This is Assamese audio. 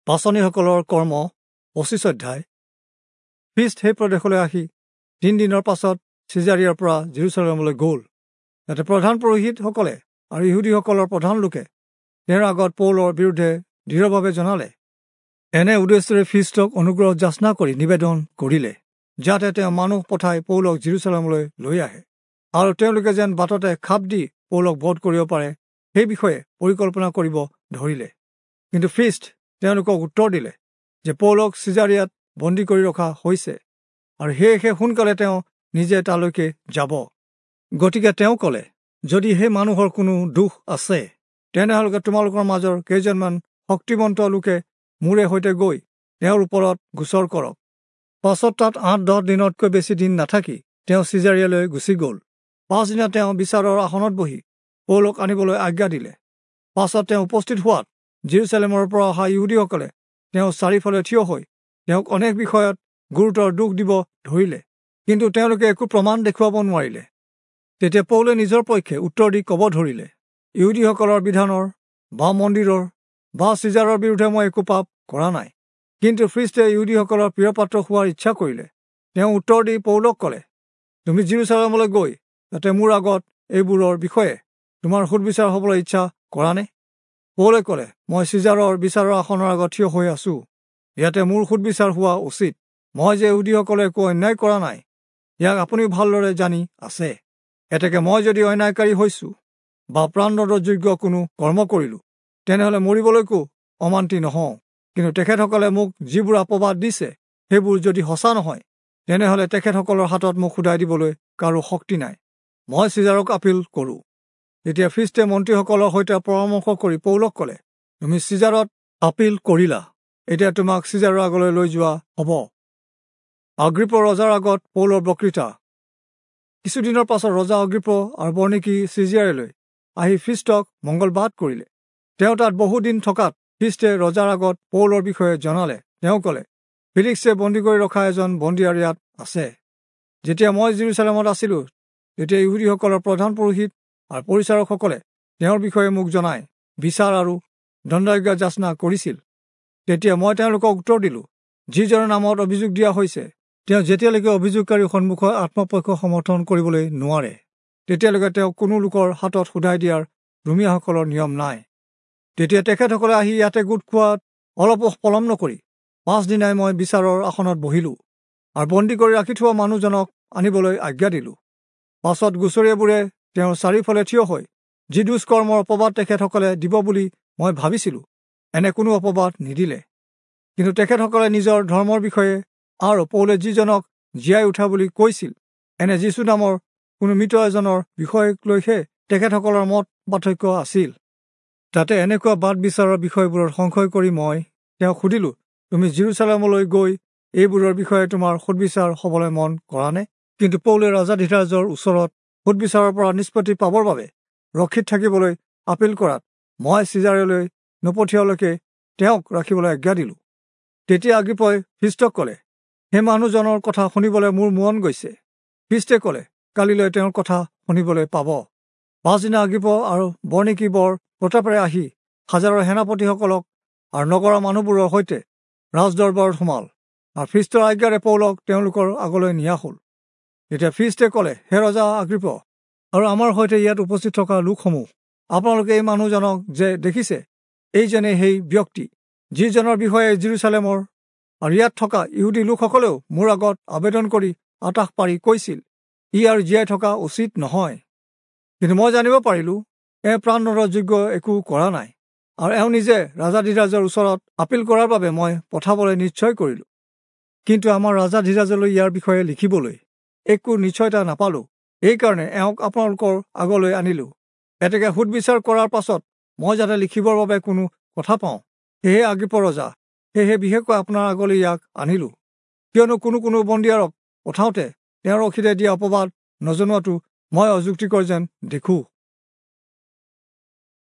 পাঁচনিসকলৰ কৰ্ম 25 অধ্যায়। ফিষ্ট সেই প্ৰদেশলৈ আহি 3 দিনৰ পাছত চিজাৰিয়াৰ পৰা জেৰুচালেমলৈ গ'ল। তাতে প্ৰধান পুৰোহিতসকলে আৰু ইহুদীসকলৰ প্ৰধান লোকে তেওঁৰ আগত পৌলৰ বিৰুদ্ধে দৃঢ়ভাৱে জনালে। এনে উদ্দেশ্যেৰে ফিষ্টক অনুগ্ৰহ যাচনা কৰি নিবেদন কৰিলে, যাতে তেওঁ মানুহ পঠাই পৌলক জেৰুচালেমলৈ লৈ আহে আৰু তেওঁলোকে যেন বাটতে খাপ দি পৌলক বধ কৰিব পাৰে সেই বিষয়ে পৰিকল্পনা কৰিব ধৰিলে। কিন্তু ফিষ্ট তেওঁলোকক উত্তৰ দিলে যে পৌলক চিজাৰিয়াত বন্দী কৰি ৰখা হৈছে আৰু সেয়েহে সোনকালে তেওঁ নিজে তালৈকে যাব। গতিকে তেওঁ ক'লে, যদি সেই মানুহৰ কোনো দোষ আছে, তেনেহ'লে তোমালোকৰ মাজৰ কেইজনমান শক্তিমন্ত লোকে মোৰে সৈতে গৈ তেওঁৰ ওপৰত গোচৰ কৰক। পাছত তাত 8-10 দিনতকৈ বেছি দিন নাথাকি তেওঁ চিজাৰিয়ালৈ গুচি গ'ল। পাছদিনা তেওঁ বিচাৰৰ আসনত বহি পৌলক আনিবলৈ আজ্ঞা দিলে। পাছত তেওঁ উপস্থিত হোৱাত জেৰুচালেমৰ পৰা অহা ইহুদীসকলে তেওঁ চাৰিওফালে থিয় হৈ তেওঁক অনেক বিষয়ত গুৰুতৰ দোষ দিব ধৰিলে, কিন্তু তেওঁলোকে একো প্ৰমাণ দেখুৱাব নোৱাৰিলে। তেতিয়া পৌলে নিজৰ পক্ষে উত্তৰ দি ক'ব ধৰিলে, ইহুদীসকলৰ বিধানৰ বা মন্দিৰৰ বা চিজাৰৰ বিৰুদ্ধে মই একো পাপ কৰা নাই। কিন্তু খ্ৰীষ্টে ইহুদীসকলৰ প্ৰিয়পাত্ৰ হোৱাৰ ইচ্ছা কৰিলে। তেওঁ উত্তৰ দি পৌলক ক'লে, তুমি জেৰুচালেমলৈ গৈ তাতে মোৰ আগত এইবোৰৰ বিষয়ে তোমাৰ সোধবিচাৰ হ'বলৈ ইচ্ছা কৰানে? পৌলে ক'লে, মই চিজাৰৰ বিচাৰৰ আসনৰ আগত থিয় হৈ আছো, ইয়াতে মোৰ সোধবিচাৰ হোৱা উচিত। মই যে ইহুদীসকলে একো অন্যায় কৰা নাই, ইয়াক আপুনিও ভালদৰে জানি আছে। এতেকে মই যদি অন্যায়কাৰী হৈছো বা প্ৰাণদণ্ডৰ যোগ্য কোনো কৰ্ম কৰিলো, তেনেহ'লে মৰিবলৈকো অমান্তি নহওঁ। কিন্তু তেখেতসকলে মোক যিবোৰ অপবাদ দিছে সেইবোৰ যদি সঁচা নহয়, তেনেহ'লে তেখেতসকলৰ হাতত মোক সোধাই দিবলৈ কাৰো শক্তি নাই। মই চিজাৰক আপিল কৰোঁ। তেতিয়া খ্ৰীষ্টে মন্ত্ৰীসকলৰ সৈতে পৰামৰ্শ কৰি পৌলক ক'লে, তুমি চিজাৰত আপিল কৰিলা, এতিয়া তোমাক চিজাৰৰ আগলৈ লৈ যোৱা হ'ব। অগ্ৰিপ্প ৰজাৰ আগত পৌলৰ বক্তৃতা। কিছুদিনৰ পাছত ৰজা অগ্ৰিপ্প আৰু বৰ্ণিকী চিজাৰিয়ালৈ আহি খ্ৰীষ্টক মংগলবাদ কৰিলে। তেওঁ তাত বহুদিন থকাত খ্ৰীষ্টে ৰজাৰ আগত পৌলৰ বিষয়ে জনালে। তেওঁ ক'লে, ফিলিক্সে বন্দী কৰি ৰখা এজন বন্দীয়াৰ ইয়াত আছে। যেতিয়া মই জেৰুচালেমত আছিলোঁ, তেতিয়া ইহুদীসকলৰ প্ৰধান পুৰোহিত আৰু পৰিচাৰকসকলে তেওঁৰ বিষয়ে মোক জনাই বিচাৰ আৰু দণ্ডাজ্ঞা যাচনা কৰিছিল। তেতিয়া মই তেওঁলোকক উত্তৰ দিলোঁ, যিজনৰ নামত অভিযোগ দিয়া হৈছে, তেওঁ যেতিয়ালৈকে অভিযোগকাৰীৰ সন্মুখত আত্মপক্ষ সমৰ্থন কৰিবলৈ নোৱাৰে, তেতিয়ালৈকে তেওঁক কোনো লোকৰ হাতত সোধাই দিয়াৰ ৰোমীয়াসকলৰ নিয়ম নাই। তেতিয়া তেখেতসকলে আহি ইয়াতে গোট খোৱাত অলপো পলম নকৰি পাছদিনাই মই বিচাৰৰ আসনত বহিলোঁ আৰু বন্দী কৰি ৰাখি থোৱা মানুহজনক আনিবলৈ আজ্ঞা দিলোঁ। পাছত গোচৰীয়াবোৰে তেওঁৰ চাৰিওফালে থিয় হৈ যি দুষ্কৰ্মৰ অপবাদ তেখেতসকলে দিব বুলি মই ভাবিছিলোঁ, এনে কোনো অপবাদ নিদিলে। কিন্তু তেখেতসকলে নিজৰ ধৰ্মৰ বিষয়ে আৰু পৌলে যিজনক জীয়াই উঠা বুলি কৈছিল, এনে যীচু নামৰ কোনো মৃত এজনৰ বিষয়ক লৈহে তেখেতসকলৰ মত পাৰ্থক্য আছিল। তাতে এনেকুৱা বাদ বিচাৰৰ বিষয়বোৰত সংশয় কৰি মই তেওঁক সুধিলোঁ, তুমি জেৰুচালেমলৈ গৈ এইবোৰৰ বিষয়ে তোমাৰ সোধবিচাৰ হ'বলৈ মন কৰানে? কিন্তু পৌলে ৰাজাধিৰাজৰ ওচৰত সোধবিচাৰৰ পৰা নিষ্পত্তি পাবৰ বাবে ৰক্ষিত থাকিবলৈ আপিল কৰাত মই চিজাৰলৈ নপঠিয়ালৈকে তেওঁক ৰাখিবলৈ আজ্ঞা দিলোঁ। তেতিয়া অগ্ৰিপ্পই খ্ৰীষ্টক ক'লে, সেই মানুহজনৰ কথা শুনিবলৈ মোৰ মন গৈছে। খ্ৰীষ্টে ক'লে, কালিলৈ তেওঁৰ কথা শুনিবলৈ পাব। পাছদিনা অগ্ৰিপ্প আৰু বৰ্ণিকী বৰ প্ৰতাপেৰে আহি হাজাৰৰ সেনাপতিসকলক আৰু নগৰৰ মানুহবোৰৰ সৈতে ৰাজদৰবাৰত সোমাল আৰু খ্ৰীষ্টৰ আজ্ঞাৰে পৌলক তেওঁলোকৰ আগলৈ নিয়া হ'ল। তেতিয়া খ্ৰীষ্টে ক'লে, হে ৰজা অগ্ৰিপ্প আৰু আমাৰ সৈতে ইয়াত উপস্থিত থকা লোকসমূহ, আপোনালোকে এই মানুহজনক যে দেখিছে, এইজনে সেই ব্যক্তি যিজনৰ বিষয়ে জেৰুচালেমৰ আৰু ইয়াত থকা ইহুদী লোকসকলেও মোৰ আগত আবেদন কৰি আটাস পাৰি কৈছিল, ই আৰু জীয়াই থকা উচিত নহয়। কিন্তু মই জানিব পাৰিলোঁ, এওঁ প্ৰাণদণ্ডৰ যোগ্য একো কৰা নাই আৰু এওঁ নিজে ৰাজাধিৰাজৰ ওচৰত আপিল কৰাৰ বাবে মই পঠাবলৈ নিশ্চয় কৰিলোঁ। কিন্তু আমাৰ ৰাজাধিৰাজলৈ ইয়াৰ বিষয়ে লিখিবলৈ একো নিশ্চয়তা নাপালোঁ, এইকাৰণে এওঁক আপোনালোকৰ আগলৈ আনিলোঁ। এতেকে সোধবিচাৰ কৰাৰ পাছত মই যাতে লিখিবৰ বাবে কোনো কথা পাওঁ, সেয়েহে অগ্ৰিপ্প ৰজা, সেয়েহে বিশেষকৈ আপোনাৰ আগলৈ ইয়াক আনিলোঁ। কিয়নো কোনো কোনো বন্দীয়াৰক পঠাওঁতে তেওঁৰ অখিলে দিয়া অপবাদ নজনোৱাটো মই অযুক্তিকৰ যেন দেখোঁ।